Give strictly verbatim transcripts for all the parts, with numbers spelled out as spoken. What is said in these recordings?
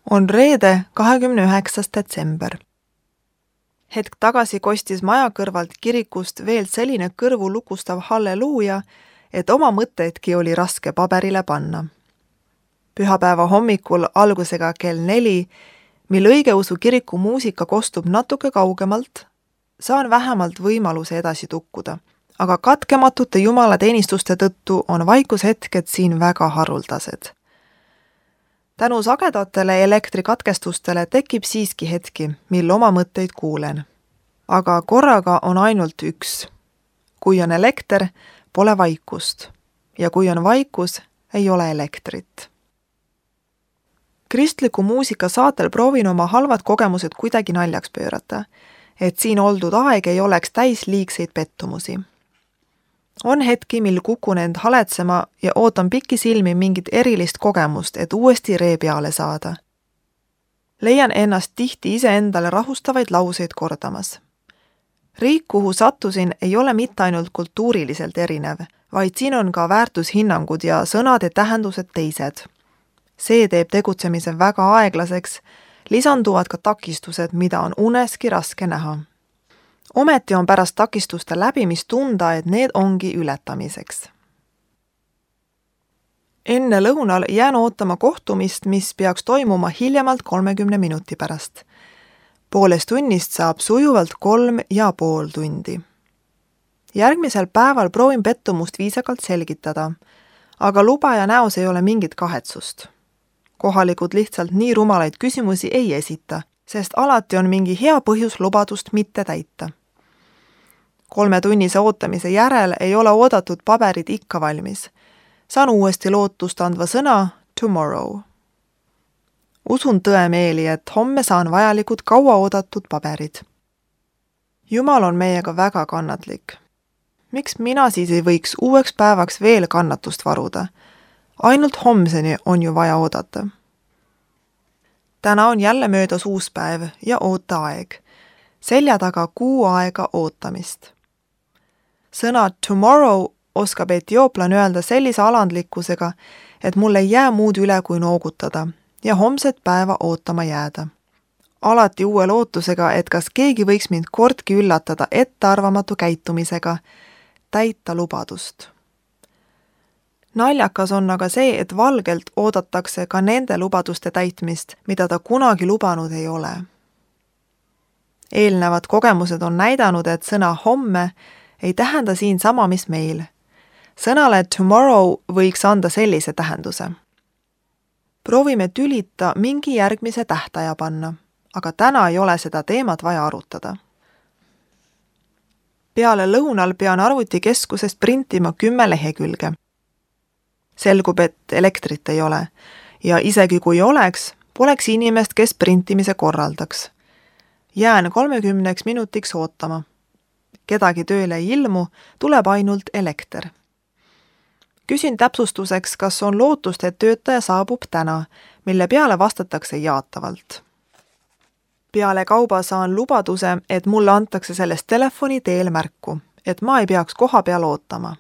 On reede, kahekümne üheksas detsember. Hetk tagasi kostis maja kõrvalt kirikust veel selline kõrvu lukustav halleluuja, et oma mõtteidki oli raske paberile panna. Pühapäeva hommikul algusega kell neli, mil õigeusu kiriku muusika kostub natuke kaugemalt, saan vähemalt võimaluse edasi tukkuda, aga katkematute jumalateenistuste tõttu on vaikushetked siin väga haruldased. Tänu sagedatele elektrikatkestustele tekib siiski hetki, mil oma mõtteid kuulen. Aga korraga on ainult üks. Kui on elekter, pole vaikust. Ja kui on vaikus, ei ole elektrit. Kristliku muusika saatel proovin oma halvad kogemused kuidagi naljaks pöörata, et siin oldud aeg ei oleks täis liigseid pettumusi. On hetki, mil kukun end haletsema ja ootan pikki silmi mingit erilist kogemust, et uuesti ree peale saada. Leian ennast tihti iseendale rahustavaid lauseid kordamas. Riik, kuhu sattusin, ei ole mitte ainult kultuuriliselt erinev, vaid siin on ka väärtushinnangud ja sõnade tähendused teised. See teeb tegutsemise väga aeglaseks, lisanduvad ka takistused, mida on uneski raske näha. Ometi on pärast takistuste läbimist tunda, et need ongi ületamiseks. Enne lõunal jään ootama kohtumist, mis peaks toimuma hiljemalt kolmekümne minuti pärast. Poolest tunnist saab sujuvalt kolm ja pool tundi. Järgmisel päeval proovin pettumust viisakalt selgitada, aga lubaja näos ei ole mingit kahetsust. Kohalikud lihtsalt nii rumalaid küsimusi ei esita, sest alati on mingi hea põhjus lubadust mitte täita. Kolmetunnise ootamise järel ei ole oodatud paberid ikka valmis. Saan uuesti lootust andva sõna tomorrow. Usun tõemeeli, et homme saan vajalikud kaua oodatud paberid. Jumal on meiega väga kannatlik. Miks mina siis ei võiks uueks päevaks veel kannatust varuda? Ainult homseni on ju vaja oodata. Täna on jälle möödas uus päev ja ooteaeg. Selja taga kuu aega ootamist. Sõna tomorrow oskab etiooplan öelda sellise alandlikkusega, et mul ei jää muud üle kui noogutada ja homset päeva ootama jääda. Alati uue lootusega, et kas keegi võiks mind kordki üllatada ettearvamatu käitumisega, täita lubadust. Naljakas on aga see, et valgelt oodatakse ka nende lubaduste täitmist, mida ta kunagi lubanud ei ole. Eelnevad kogemused on näidanud, et sõna homme ei tähenda siin sama, mis meil. Sõnale tomorrow võiks anda sellise tähenduse. Proovime tülita mingi järgmise tähtaja panna, aga täna ei ole seda teemat vaja arutada. Peale lõunal pean arvutikeskusest printima kümme lehekülge. Selgub, et elektrit ei ole ja isegi kui oleks, poleks inimest, kes printimise korraldaks. Jään kolmekümneks minutiks ootama. Kedagi tööle ei ilmu, tuleb ainult elekter. Küsin täpsustuseks, kas on lootust, et töötaja saabub täna, mille peale vastatakse jaatavalt. Peale kauba saan lubaduse, et mulle antakse sellest telefoni teel märku, et ma ei peaks koha peal ootama.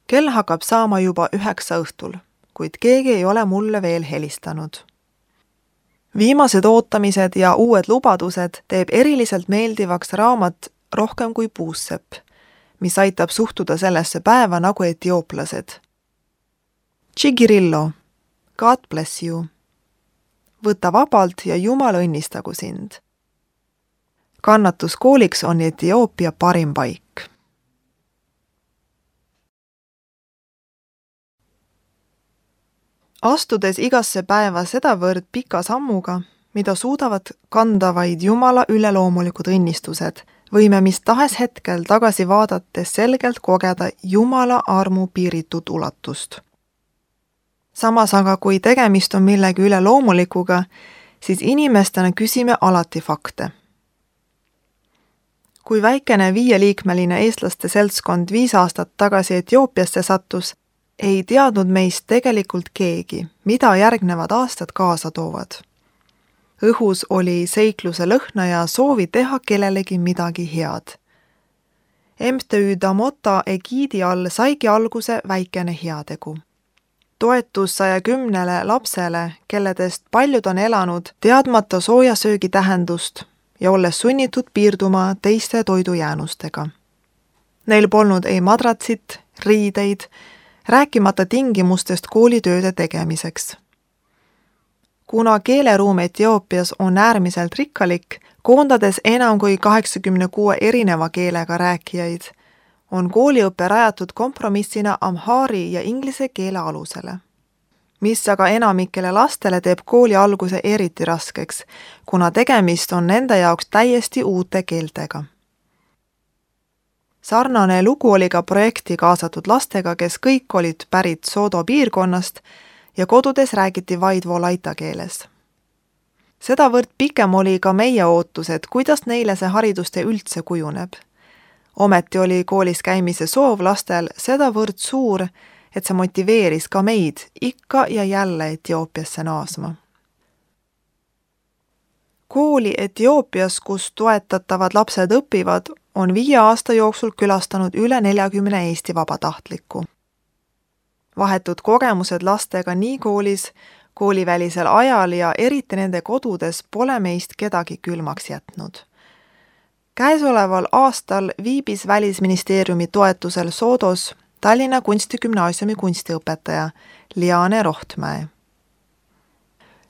Kell hakkab saama juba üheksa õhtul, kuid keegi ei ole mulle veel helistanud. Viimased ootamised ja uued lubadused teeb eriliselt meeldivaks raamat Rohkem kui puussepp, mis aitab suhtuda sellesse päeva nagu etiooplased. Chigirillo, God bless you. Võta vabalt ja Jumal õnnistagu sind. Kannatuskooliks on Etioopia parim paik. Astudes igasse päeva sedavõrd pika sammuga, mida suudavad kanda vaid Jumala üleloomulikud õnnistused, võime mis tahes hetkel tagasi vaadates selgelt kogeda Jumala armu piiritut ulatust. Samas aga, kui tegemist on millegi üleloomulikuga, siis inimestena küsime alati fakte. Kui väikene viieliikmeline eestlaste seltskond viis aastat tagasi Etioopiasse sattus, ei teadnud meist tegelikult keegi, mida järgnevad aastad kaasa toovad. Õhus oli seikluse lõhna ja soovi teha kellelegi midagi head. M T Ü Damota egiidi all saigi alguse väikene heategu. Toetus saja kümnele lapsele, kelledest paljud on elanud teadmata soojasöögi tähendust ja olles sunnitud piirduma teiste toidujäänustega. Neil polnud ei madratsit, riideid, rääkimata tingimustest koolitööde tegemiseks. Kuna keeleruum Etioopias on äärmiselt rikkalik, koondades enam kui kaheksakümne kuue erineva keelega rääkijaid, on kooliõpe rajatud kompromissina amhaari ja inglise keele alusele, mis aga enamikele lastele teeb kooli alguse eriti raskeks, kuna tegemist on nende jaoks täiesti uute keeltega. Sarnane lugu oli ka projekti kaasatud lastega, kes kõik olid pärit Sodo piirkonnast ja kodudes räägiti vaid volaita keeles. Sedavõrd pikem oli ka meie ootus, et kuidas neile see haridustee üldse kujuneb. Ometi oli koolis käimise soov lastel sedavõrd suur, et see motiveeris ka meid ikka ja jälle Etioopiasse naasma. Kooli Etioopias, kus toetatavad lapsed õpivad, on viie aasta jooksul külastanud üle neljakümne Eesti vabatahtlikku. Vahetud kogemused lastega nii koolis, koolivälisel ajal ja eriti nende kodudes pole meist kedagi külmaks jätnud. Käesoleval aastal viibis Välisministeeriumi toetusel Sodos Tallinna Kunstigümnaasiumi kunstiõpetaja Liane Rohtmäe.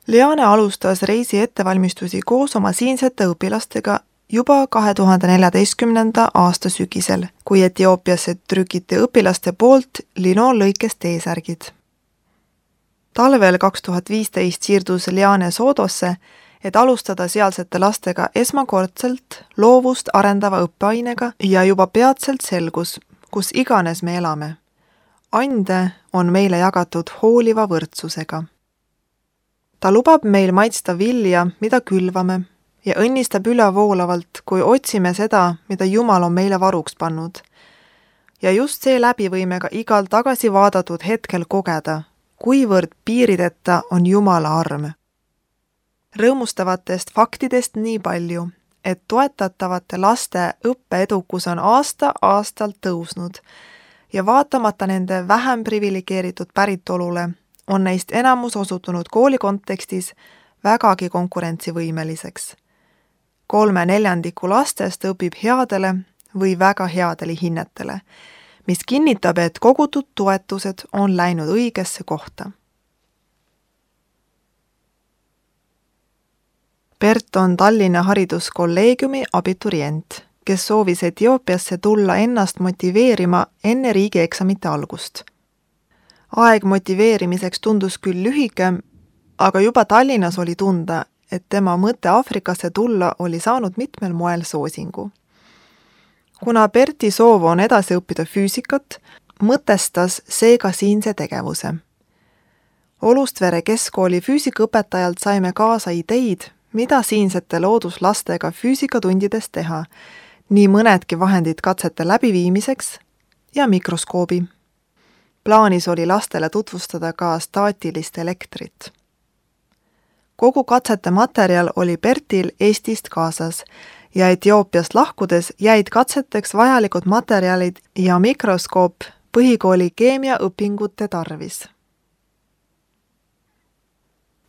Liane alustas reisi ettevalmistusi koos oma siinsete õpilastega juba kahe tuhande neljateistkümnenda aasta sügisel, kui Etioopiasse trükiti õpilaste poolt linoonlõikest T-särgid. Talvel kaks tuhat viisteist siirdus Liane Sodosse, et alustada sealsete lastega esmakordselt loovust arendava õppeainega ja juba peatselt selgus, kus iganes me elame. Ande on meile jagatud hooliva võrdsusega. Ta lubab meil maitsta vilja, mida külvame, ja õnnistab ülevoolavalt, kui otsime seda, mida Jumal on meile varuks pannud. Ja just seeläbi võime ka igal tagasi vaadatud hetkel kogeda, kuivõrd piirideta on Jumala arm. Rõõmustavatest faktidest nii palju, et toetatavate laste õppeedukus on aasta-aastalt tõusnud ja vaatamata nende vähem priviligeeritud päritolule on neist enamus osutunud kooli kontekstis vägagi konkurentsivõimeliseks. Kolme neljandiku lastest õpib headele või väga headele hinnetele, mis kinnitab, et kogutud toetused on läinud õigesse kohta. Bert on Tallinna hariduskolleegiumi abiturient, kes soovis Etioopiasse tulla ennast motiveerima enne riigieksamite algust. Aeg motiveerimiseks tundus küll lühike, aga juba Tallinnas oli tunda, et tema mõte Aafrikasse tulla oli saanud mitmel moel soosingu. Kuna Berti soov on edasi õppida füüsikat, mõtestas seega siinse tegevuse. Olustvere keskkooli füüsikaõpetajalt saime kaasa ideid, mida siinsete looduslastega füüsikatundides teha, nii mõnedki vahendid katsete läbiviimiseks ja mikroskoobi. Plaanis oli lastele tutvustada ka staatilist elektrit. Kogu katsete materjal oli Bertil Eestist kaasas ja Etioopiast lahkudes jäid katseteks vajalikud materjalid ja mikroskoop põhikooli keemiaõpingute tarvis.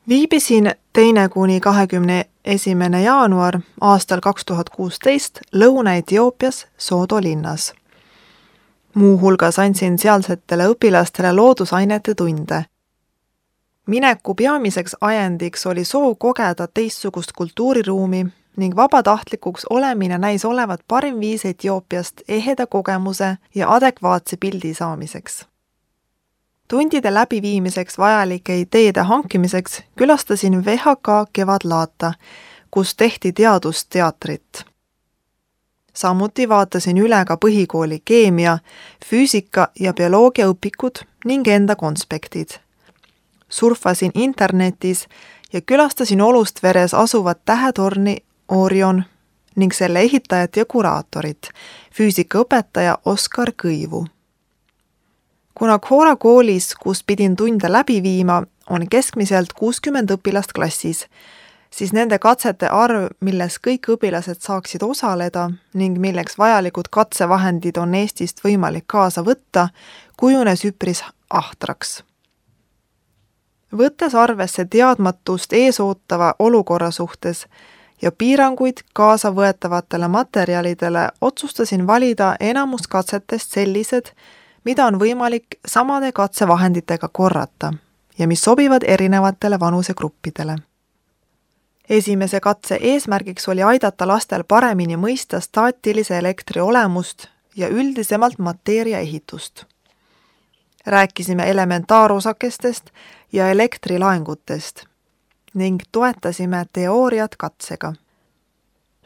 Viibisin teine kuni kahekümne esimene jaanuar aastal kaks tuhat kuusteist Lõuna-Etioopias Sodo linnas. Muu hulgas andsin sealsetele õpilastele loodusainete tunde. Mineku peamiseks ajendiks oli soov kogeda teistsugust kultuuriruumi ning vabatahtlikuks olemine näis olevat parim viis Etioopiast eheda kogemuse ja adekvaatse pildi saamiseks. Tundide läbiviimiseks vajalike ideede hankimiseks külastasin V H K Kevadlaata, kus tehti teadusteatrit. Samuti vaatasin üle ka põhikooli keemia, füüsika ja bioloogia õpikud ning enda konspektid. Surfasin internetis ja külastasin Olustveres asuvat tähetorni Orion ning selle ehitajat ja kuraatorit, füüsikaõpetaja Oskar Kõivu. Kuna Khora koolis, kus pidin tunde läbi viima, on keskmiselt kuuskümmend õpilast klassis, siis nende katsete arv, milles kõik õpilased saaksid osaleda ning milleks vajalikud katsevahendid on Eestist võimalik kaasa võtta, kujunes üpris ahtraks. Võttes arvesse teadmatust eesootava olukorra suhtes ja piiranguid kaasa võetavatele materjalidele, otsustasin valida enamus katsetest sellised, mida on võimalik samade katsevahenditega korrata ja mis sobivad erinevatele vanusegruppidele. Esimese katse eesmärgiks oli aidata lastel paremini mõista staatilise elektri olemust ja üldisemalt mateeria ehitust. Rääkisime elementaarosakestest ja elektrilaengutest ning toetasime teooriat katsega.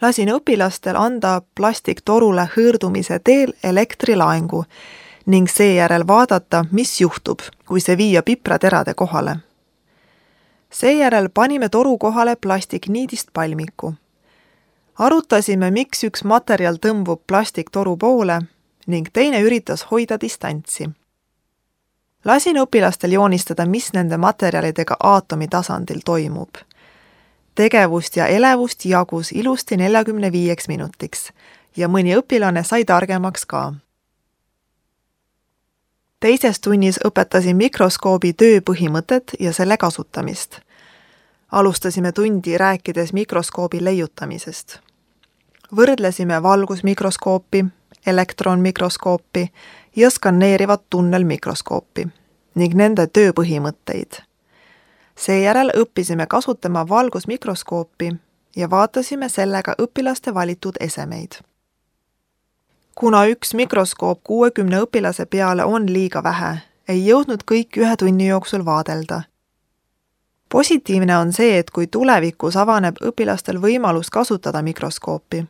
Lasin õpilastel anda plastiktorule hõõrdumise teel elektrilaengu ning seejärel vaadata, mis juhtub, kui see viia pipraterade kohale. Seejärel panime toru kohale plastikniidist palmiku. Arutasime, miks üks materjal tõmbub plastiktoru poole ning teine üritas hoida distantsi. Lasin õpilastel joonistada, mis nende materjalidega aatomi tasandil toimub. Tegevust ja elevust jagus ilusti neljakümne viieks minutiks ja mõni õpilane sai targemaks ka. Teises tunnis õpetasin mikroskoobi töö põhimõtet ja selle kasutamist. Alustasime tundi rääkides mikroskoobi leiutamisest. Võrdlesime valgusmikroskoopi, elektronmikroskoopi ja skanneerivat tunnelmikroskoopi ning nende töö põhimõtteid. Seejärel õppisime kasutama valgusmikroskoopi ja vaatasime sellega õpilaste valitud esemeid. Kuna üks mikroskoop kuuekümne õpilase peale on liiga vähe, ei jõudnud kõik ühe tunni jooksul vaadelda. Positiivne on see, et kui tulevikus avaneb õpilastel võimalus kasutada mikroskoopi,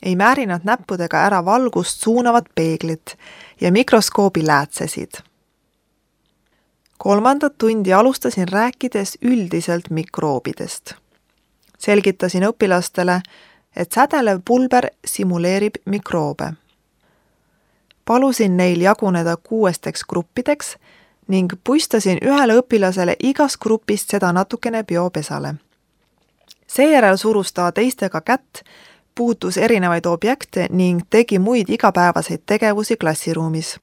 ei määri nad näppudega ära valgust suunavat peeglit ja mikroskoobi läätsesid. Kolmandat tundi alustasin rääkides üldiselt mikroobidest. Selgitasin õpilastele, et sädelev pulber simuleerib mikroobe. Palusin neil jaguneda kuuesteks gruppideks ning puistasin ühele õpilasele igast grupist seda natukene biopesale. Seejärel surus ta teistega kätt, puutus erinevaid objekte ning tegi muid igapäevaseid tegevusi klassiruumis.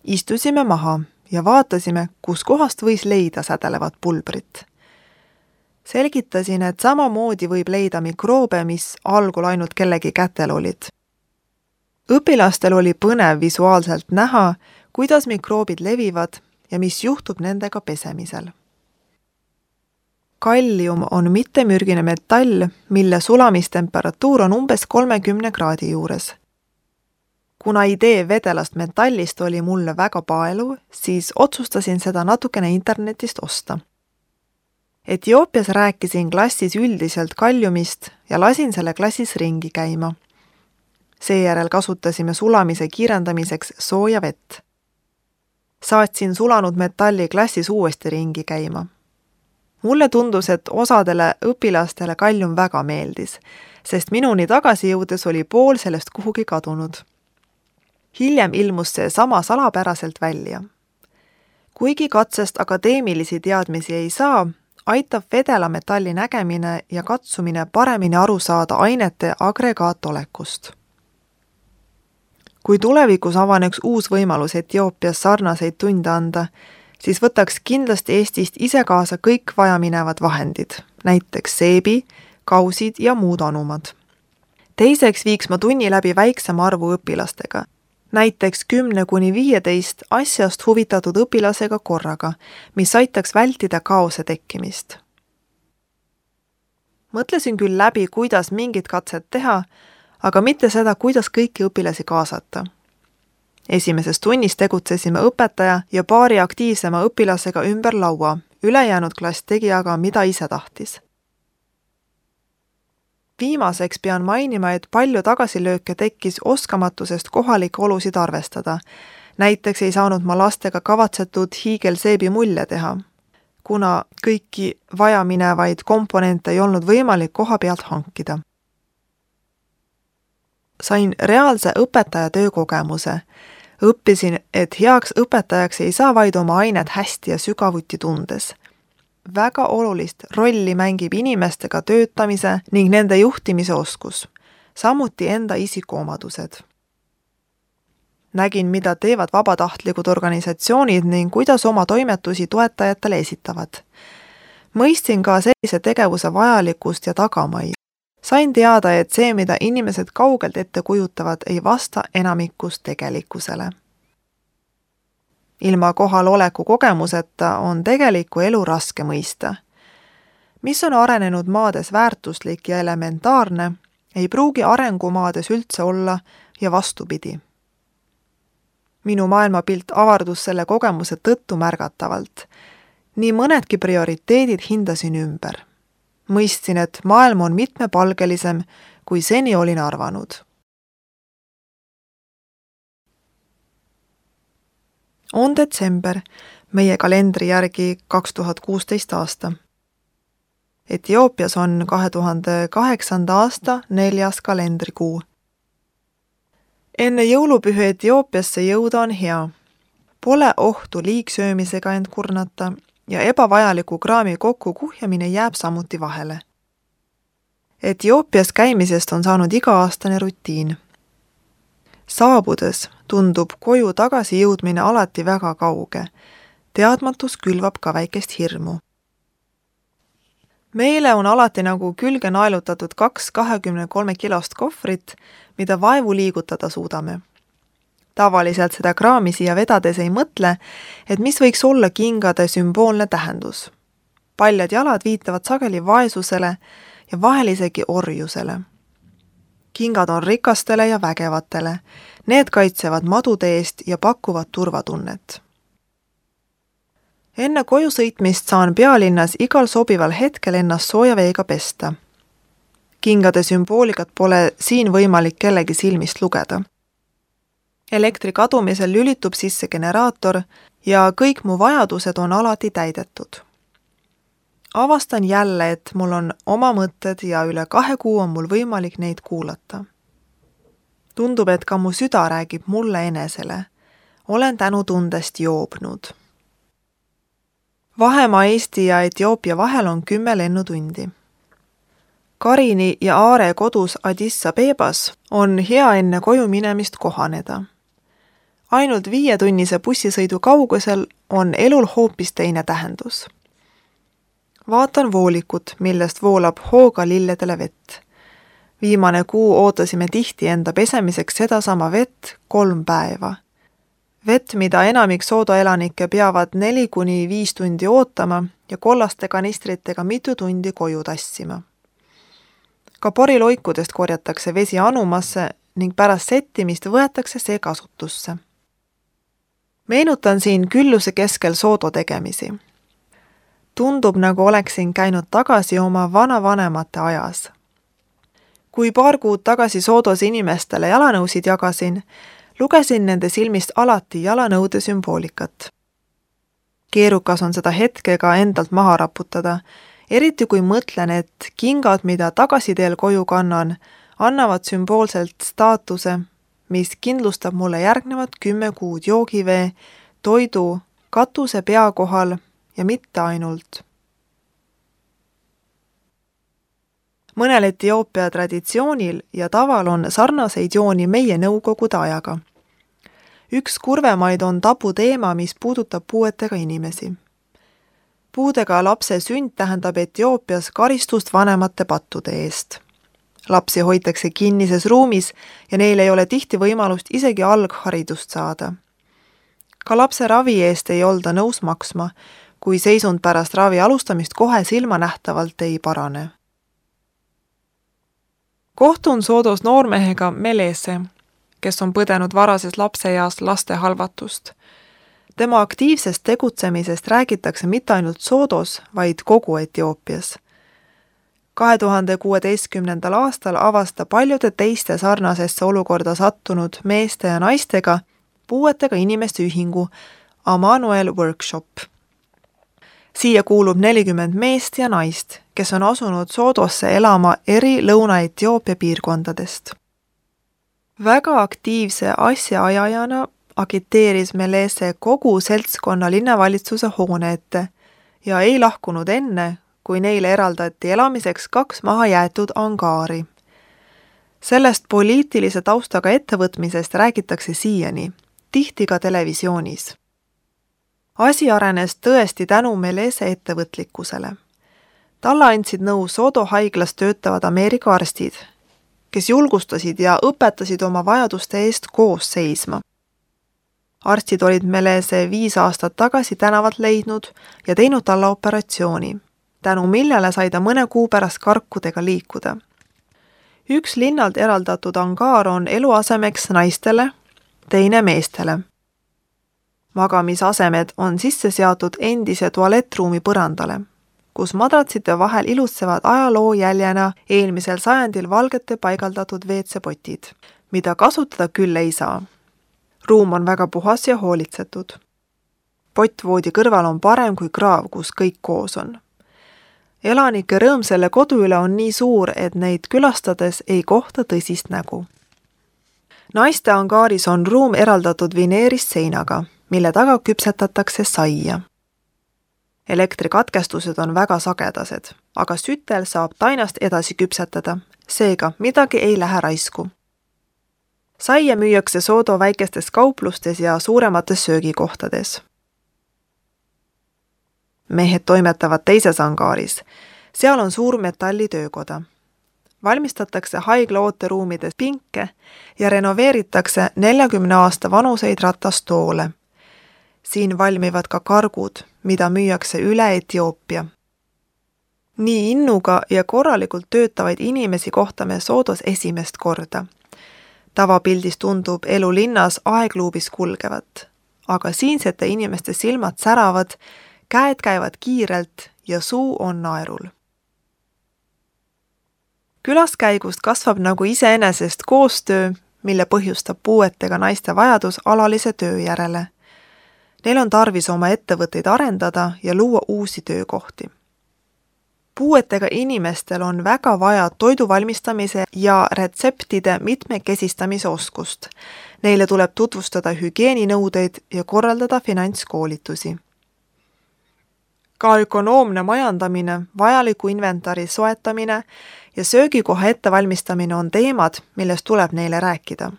Istusime maha ja vaatasime, kus kohast võis leida sädelevat pulbrit. Selgitasin, et samamoodi võib leida mikroobe, mis algul ainult kellegi kätel olid. Õpilastel oli põnev visuaalselt näha, kuidas mikroobid levivad ja mis juhtub nendega pesemisel. Kallium on mittemürgine metall, mille sulamistemperatuur on umbes kolmekümne kraadi juures. Kuna idee vedelast metallist oli mulle väga paeluv, siis otsustasin seda natukene internetist osta. Etioopias rääkisin klassis üldiselt kalliumist ja lasin selle klassis ringi käima. Seejärel kasutasime sulamise kiirendamiseks sooja vett. Saatsin sulanud metalli klassis uuesti ringi käima. Mulle tundus, et osadele õpilastele kallium väga meeldis, sest minuni tagasi jõudes oli pool sellest kuhugi kadunud. Hiljem ilmus see sama salapäraselt välja. Kuigi katsest akadeemilisi teadmisi ei saa, aitab vedela metalli nägemine ja katsumine paremini aru saada ainete agregaatolekust. Kui tulevikus avaneks uus võimalus Etioopias sarnaseid tunde anda, siis võtaks kindlasti Eestist ise kaasa kõik vajaminevad vahendid, näiteks seebi, kausid ja muud anumad. Teiseks viiks ma tunni läbi väiksema arvu õpilastega, näiteks kümne kuni viieteist asjast huvitatud õpilasega korraga, mis aitaks vältida kaose tekkimist. Mõtlesin küll läbi, kuidas mingit katset teha, aga mitte seda, kuidas kõiki õpilasi kaasata. Esimeses tunnis tegutsesime õpetaja ja paari aktiivsema õpilasega ümber laua, ülejäänud klass tegi aga, mida ise tahtis. Viimaseks pean mainima, et palju tagasilööke tekkis oskamatusest kohalikke olusid arvestada. Näiteks ei saanud ma lastega kavatsetud hiigelseebi mulje teha, kuna kõiki vajaminevaid komponente ei olnud võimalik koha pealt hankida. Sain reaalse õpetaja töökogemuse. Õppisin, et heaks õpetajaks ei saa vaid oma ainet hästi ja sügavuti tundes. Väga olulist rolli mängib inimestega töötamise ning nende juhtimise oskus, samuti enda isikuomadused. Nägin, mida teevad vabatahtlikud organisatsioonid ning kuidas oma toimetusi toetajatele esitavad. Mõistin ka sellise tegevuse vajalikkust ja tagamaid. Sain teada, et see, mida inimesed kaugelt ette kujutavad, ei vasta enamikus tegelikkusele. Ilma kohaloleku kogemuseta on tegelikku elu raske mõista. Mis on arenenud maades väärtuslik ja elementaarne, ei pruugi arengumaades üldse olla ja vastupidi. Minu maailmapilt avardus selle kogemuse tõttu märgatavalt. Nii mõnedki prioriteedid hindasin ümber. Mõistsin, et maailm on mitmepalgelisem, kui seni olin arvanud. On detsember, meie kalendri järgi kaks tuhat kuusteist aasta. Etioopias on kahe tuhande kaheksanda aasta neljas kalendrikuu. Enne jõulupühi Etioopiasse jõuda on hea. Pole ohtu liigsöömisega end kurnata ja ebavajaliku kraami kokku kuhjamine jääb samuti vahele. Etioopias käimisest on saanud iga-aastane rutiin. Saabudes tundub koju tagasi jõudmine alati väga kauge. Teadmatus külvab ka väikest hirmu. Meile on alati nagu külge naelutatud kaks kahekümne kolme kilost kohvrit, mida vaevu liigutada suudame. Tavaliselt seda kraami siia vedades ei mõtle, et mis võiks olla kingade sümboolne tähendus. Paljad jalad viitavad sageli vaesusele ja vahel isegi orjusele. Kingad on rikastele ja vägevatele. Need kaitsevad madude eest ja pakuvad turvatunnet. Enne koju sõitmist saan pealinnas igal sobival hetkel ennast sooja veega pesta. Kingade sümboolikat pole siin võimalik kellegi silmist lugeda. Elektri kadumisel lülitub sisse generaator ja kõik mu vajadused on alati täidetud. Avastan jälle, et mul on oma mõtted ja üle kahe kuu on mul võimalik neid kuulata. Tundub, et ka mu süda räägib mulle enesele. Olen tänutundest joobnud. Vahemaa Eesti ja Etioopia vahel on kümme lennutundi. Karini ja Aare kodus Addis Abebas on hea enne koju minemist kohaneda. Ainult viietunnise bussisõidu kaugusel on elul hoopis teine tähendus. Vaatan voolikut, millest voolab hooga lilledele vett. Viimane kuu ootasime tihti enda pesemiseks sedasama vett kolm päeva. Vett, mida enamik soodaelanikke peavad neli kuni viis tundi ootama ja kollaste kanistritega mitu tundi koju tassima. Ka poriloikudest korjatakse vesi anumasse ning pärast settimist võetakse see kasutusse. Meenutan siin külluse keskel soodo tegemisi. Tundub, nagu oleksin käinud tagasi oma vanavanemate ajas. Kui paar kuud tagasi soodos inimestele jalanõusid jagasin, lugesin nende silmist alati jalanõude sümboolikat. Keerukas on seda hetkega endalt maha raputada, eriti kui mõtlen, et kingad, mida tagasiteel koju kannan, annavad sümboolselt staatuse, mis kindlustab mulle järgnevad kümme kuud joogivee, toidu, katuse pea kohal ja mitte ainult. Mõnel Etioopia traditsioonil ja taval on sarnaseid jooni meie nõukogude ajaga. Üks kurvemaid on tabu teema, mis puudutab puuetega inimesi. Puudega lapse sünd tähendab Etioopias karistust vanemate pattude eest. Lapsi hoitakse kinnises ruumis ja neil ei ole tihti võimalust isegi algharidust saada. Ka lapse ravi eest ei olda nõus maksma, kui seisund pärast ravi alustamist kohe silmanähtavalt ei parane. Kohtun soodos noormehega Melese, kes on põdenud varases lapseeas laste halvatust. Tema aktiivsest tegutsemisest räägitakse mitte ainult soodos, vaid kogu Etioopias. kahe tuhande kuueteistkümnendal aastal avasta paljude teiste sarnasesse olukorda sattunud meeste ja naistega puuetega inimeste ühingu Amanuel Workshop. Siia kuulub nelikümmend meest ja naist, kes on asunud Soodosse elama eri Lõuna-Etioopia piirkondadest. Väga aktiivse asjaajajana agiteeris Melese kogu seltskonna linnavalitsuse hoone ette ja ei lahkunud enne, kui neile eraldati elamiseks kaks maha jäetud angaari. Sellest poliitilise taustaga ettevõtmisest räägitakse siiani tihti ka televisioonis. Asi arenes tõesti tänu Melese ettevõtlikkusele. Talle andsid nõu Sodo haiglas töötavad Ameerika arstid, kes julgustasid ja õpetasid oma vajaduste eest koos seisma. Arstid olid Melese viis aastat tagasi tänavalt leidnud ja teinud talle operatsiooni, tänu millele sai ta mõne kuu pärast karkudega liikuda. Üks linnalt eraldatud angaar on eluasemeks naistele, teine meestele. Magamisasemed on sisse seatud endise tualettruumi põrandale, kus madratsite vahel ilutsevad ajaloo jäljena eelmisel sajandil valgete paigaldatud veetsepotid, mida kasutada küll ei saa. Ruum on väga puhas ja hoolitsetud. Pottvoodi kõrval on parem kui kraav, kus kõik koos on. Elanike rõõm selle kodu üle on nii suur, et neid külastades ei kohta tõsist nägu. Naiste angaaris on ruum eraldatud vineerist seinaga, mille taga küpsetatakse saia. Elektrikatkestused on väga sagedased, aga sütel saab tainast edasi küpsetada, seega midagi ei lähe raisku. Saia müüakse Sodo väikestes kauplustes ja suuremates söögikohtades. Mehed toimetavad teises angaaris. Seal on suur metallitöökoda. Valmistatakse haigla ooteruumides pinke ja renoveeritakse neljakümne aasta vanuseid ratastoole. Siin valmivad ka kargud, mida müüakse üle Etioopia. Nii innuga ja korralikult töötavaid inimesi kohtame Sodos esimest korda. Tavapildis tundub elu linnas aegluubis kulgevat, aga siinsete inimeste silmad säravad, käed käivad kiirelt ja suu on naerul. Külaskäigust kasvab nagu iseenesest koostöö, mille põhjustab puuetega naiste vajadus alalise töö järele. Neil on tarvis oma ettevõtteid arendada ja luua uusi töökohti. Puuetega inimestel on väga vaja toidu valmistamise ja retseptide mitmekesistamise oskust. Neile tuleb tutvustada hügieeninõudeid ja korraldada finantskoolitusi. Ka ökonoomne majandamine, vajaliku inventari soetamine ja söögikoha ettevalmistamine on teemad, millest tuleb neile rääkida.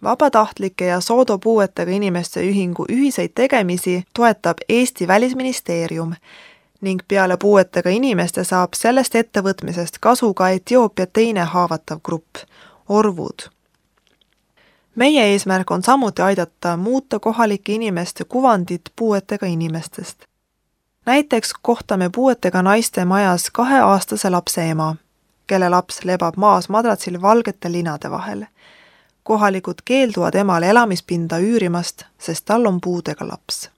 Vabatahtlike ja Sodo puuetega inimeste ühingu ühiseid tegemisi toetab Eesti Välisministeerium ning peale puuetega inimeste saab sellest ettevõtmisest kasu ka Etioopia teine haavatav grupp, orvud. Meie eesmärk on samuti aidata muuta kohalike inimeste kuvandit puuetega inimestest. Näiteks kohtame puuetega naiste majas kaheaastase lapse ema, kelle laps lebab maas madratsil valgete linade vahel. Kohalikud keelduvad emale elamispinda üürimast, sest tal on puudega laps.